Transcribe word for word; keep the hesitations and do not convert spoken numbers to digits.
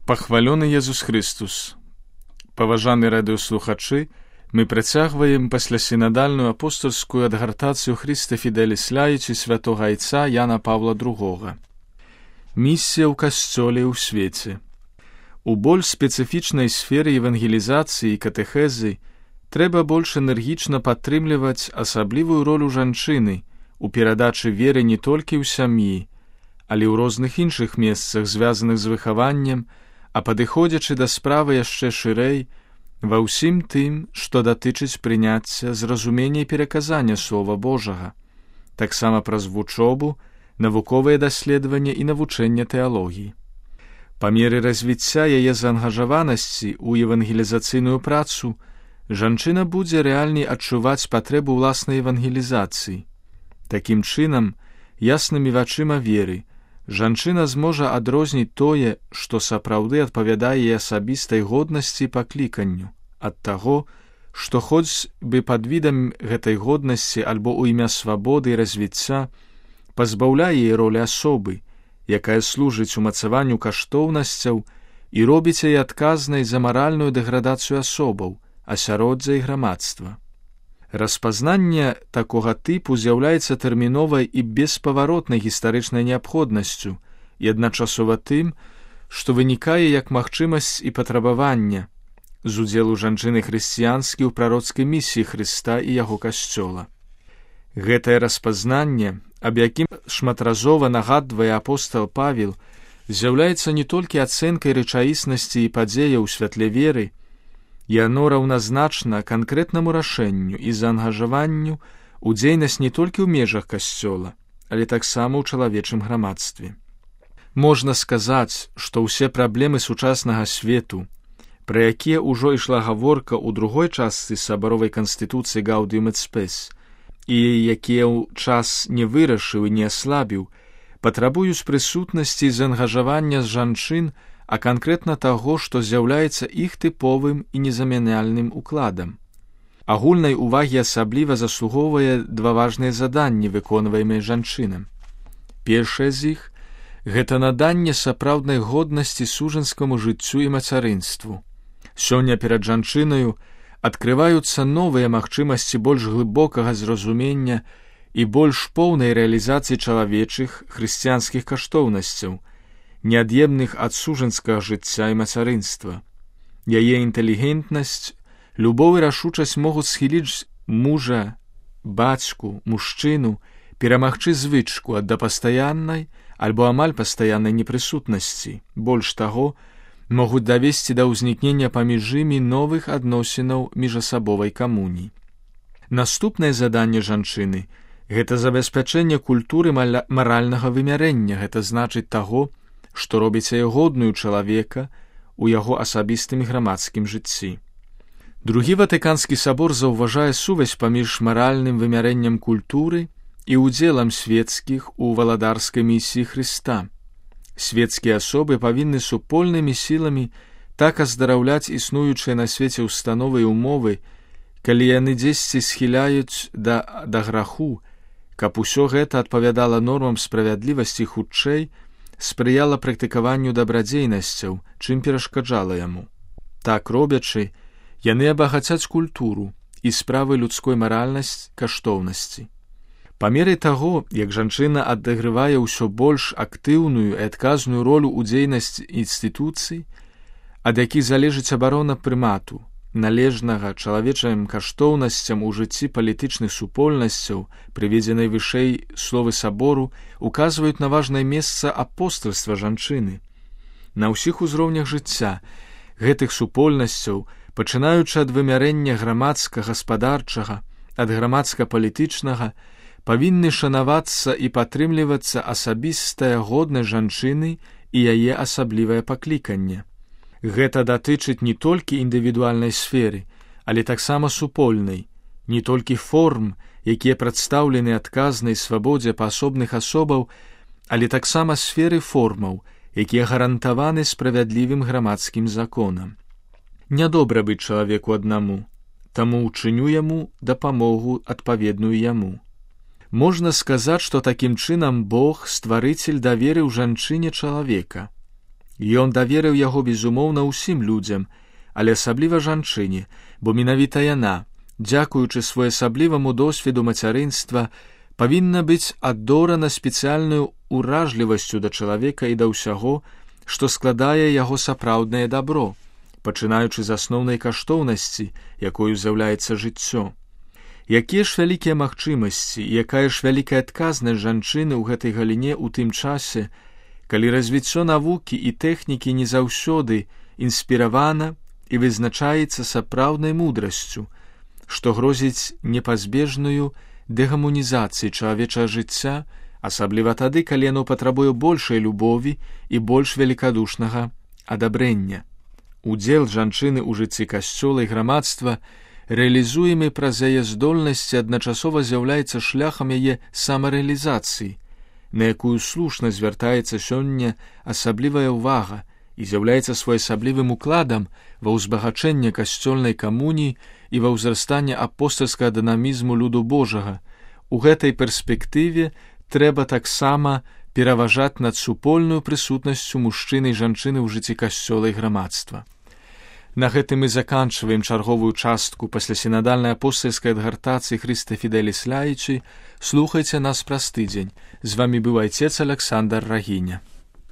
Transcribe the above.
Пахвалёны Езус Христус. Паважаны радыёслухачы, мы працягваем паслясінадальную апостольскую адгартацыю Христа Фіделіс Ляйчы святога айца Яна Павла другога. Місія ў касцёле ў свеце. У больш спецыфічнай сферы евангелізацыі і катэхезы трэба больш энергічна падтрымліваць асаблівую ролю жанчыны у перадачы веры не толькі ў сям'і, але ў розных іншых месцах, звязаных з выхаваннем, а падыходзячы да справы яшчэ шырэй, ва ўсім тым, што датычыць прыняцця, зразумення і пераказання Слова Божага, таксама праз вучобу, навуковыя даследаванні і навучэнне тэалогіі. Па меры развіцця яе заангажаванасці ў евангелізацыйную працу, жанчына будзе рэальней адчуваць патрэбу ўласнай евангелізацыі. Такім чынам, яснымі вачыма веры, жанчына зможа адрозніць тое, што сапраўды адпавядае яе асабістай годнасці і пакліканню, ад таго, што хоць бы пад відам гэтай годнасці альбо ў імя свабоды і развіцця пазбаўляе яе ролі асобы, якая служыць умацаванню каштоўнасцяў і робіць яе адказнай за маральную дэградацыю асобаў, асяроддзя і грамадства. Распазнанне такога тыпу з'яўляецца тэрміновай і беспаваротнай гістарычнай неабходнасцю і адначасова тым, што вынікае як магчымасць і патрабавання з удзелу жанчыны хрысціянскі ў прароцкай місіі Хрыста і яго касцёла. Гэтае распазнанне, аб якім шматразова нагадвае апостал Павел, з'яўляецца не толькі ацэнкай рэчаіснасці і падзеяў у святле веры, яно раўназначна канкрэтнаму рашэнню і заангажаванню ў дзейнасць не толькі ў межах касцёла, але таксама ў чалавечым грамадстве. Можна сказаць, што ўсе праблемы сучаснага свету, пра якія ўжо ішла гаворка ў другой частцы сабаровай канстытуцыі Гаўдіум эт Спэс, і якія ў час не вырашыў і не аслабіў, патрабуюць прысутнасці і заангажавання з жанчын, а канкрэтна таго, што з'яўляецца іх тыповым і незамяняльным укладам. Агульнай увагі асабліва заслугоўвае два важныя заданні, выконваемыя жанчынам. Першае з іх – гэта наданне сапраўднай годнасці сужанскаму жыццю і мацярынству. Сёння перад жанчынаю адкрываюцца новыя магчымасці больш глыбокага зразумення і больш поўнай рэалізацыі чалавечых хрысціянскіх каштоўнасцяў, неад'емных ад сужанскага жыцця і мацярынства. Яе інтэлігентнасць, любоў і рашучасць могуць схіліць мужа, бацьку, мужчыну, перамагчы звычку ад да пастаяннай альбо амаль пастаяннай непрысутнасці. Больш таго, могуць давесці да ўзнікнення паміж імі новых адносінаў міжасабовай камуніі. Наступнае заданне жанчыны – гэта забеспячэнне культуры маральнага вымярэння, гэта значыць таго, што робіць яе годную чалавека ў яго асабістым і грамадскім жыцці. Другі Ватыканскі сабор заўважае сувязь паміж маральным вымярэннем культуры і ўдзелам свецкіх у валадарскай місіі Хрыста. Свецкія асобы павінны супольнымі сіламі так аздараўляць існуючыя на свеце ўстановы і умовы, калі яны дзесьці схіляюць да, да граху, каб усё гэта адпавядала нормам справядлівасці хутчэй, спрыяла практыкаванню дабрадзейнасцяў, чым перашкаджала яму. Так робячы, яны абагацяць культуру і справы людской маральнасць каштоўнасці. Па меры таго, як жанчына адыгрывае ўсё больш актыўную і адказную ролю ў дзейнасці інстытуцый, ад якіх залежыць абарона прымату, належнага чалавечым каштоўнасцям у жыцці палітычных супольнасцяў, прыведзенай вышэй словы сабору, указваюць на важнае месца апостальства жанчыны. На ўсіх узроўнях жыцця гэтых супольнасцяў, пачынаючы ад вымярэння грамадска-гаспадарчага, ад грамадска-палітычнага, павінны шанавацца і падтрымлівацца асабістая годнасць жанчыны і яе асаблівае пакліканне. Гэта датычыць не толькі індывідуальнай сферы, але таксама супольнай, не толькі форм, якія прадстаўлены адказнай свабодзе паасобных асобаў, але таксама сферы формаў, якія гарантаваны справядлівым грамадскім законам. Нядобра быць чалавеку аднаму, таму ўчыню яму дапамогу адпаведную яму. Можна сказаць, што такім чынам Бог, стварыцель, даверыў жанчыне чалавека. Ён даверыў яго, безумоўна, усім людзям, але асабліва жанчыне, бо менавіта яна, дзякуючы своеасабліваму досведу мацярынства, павінна быць адорана спецыяльнаю уражлівасцю да чалавека і да ўсяго, што складае яго сапраўднае дабро, пачынаючы з асноўнай каштоўнасці, якою з'яўляецца жыццё. Якія ж вялікія магчымасці, якая ж вялікая адказнасць жанчыны ў гэтай галіне ў тым часе, калі развіццё навукі і тэхнікі не заўсёды інспіравана і вызначаецца сапраўднай мудрасцю, што грозіць непазбежную дэгамунізацыі чалавечага жыцця, асабліва тады, калі яно патрабуе большай любові і больш великадушнага адабрэння. Удзел жанчыны ў жыцці касцёла і грамадства, рэалізуемы праз яе здольнасці, адначасова з'яўляецца шляхам яе самарэалізацыі, на якую слушна звяртаецца сёння асаблівая ўвага і з'яўляецца своеасаблівым укладам ва ўзбагачэнне касцёльнай камуніі і ва ўзрастанне апостальскага дынамізму люду Божага. У гэтай перспектыве трэба таксама пераважаць над супольную прысутнасцю мужчыны і жанчыны ў жыцці касцёла і грамадства. На гэтым мы заканчваем чарговую частку паслясінадальнай апостальскай адгартацыі Хрыста Фідэліс Лаічы. Слухайце нас праз тыдзень. З вамі быў айцец Аляксандр Рагіня.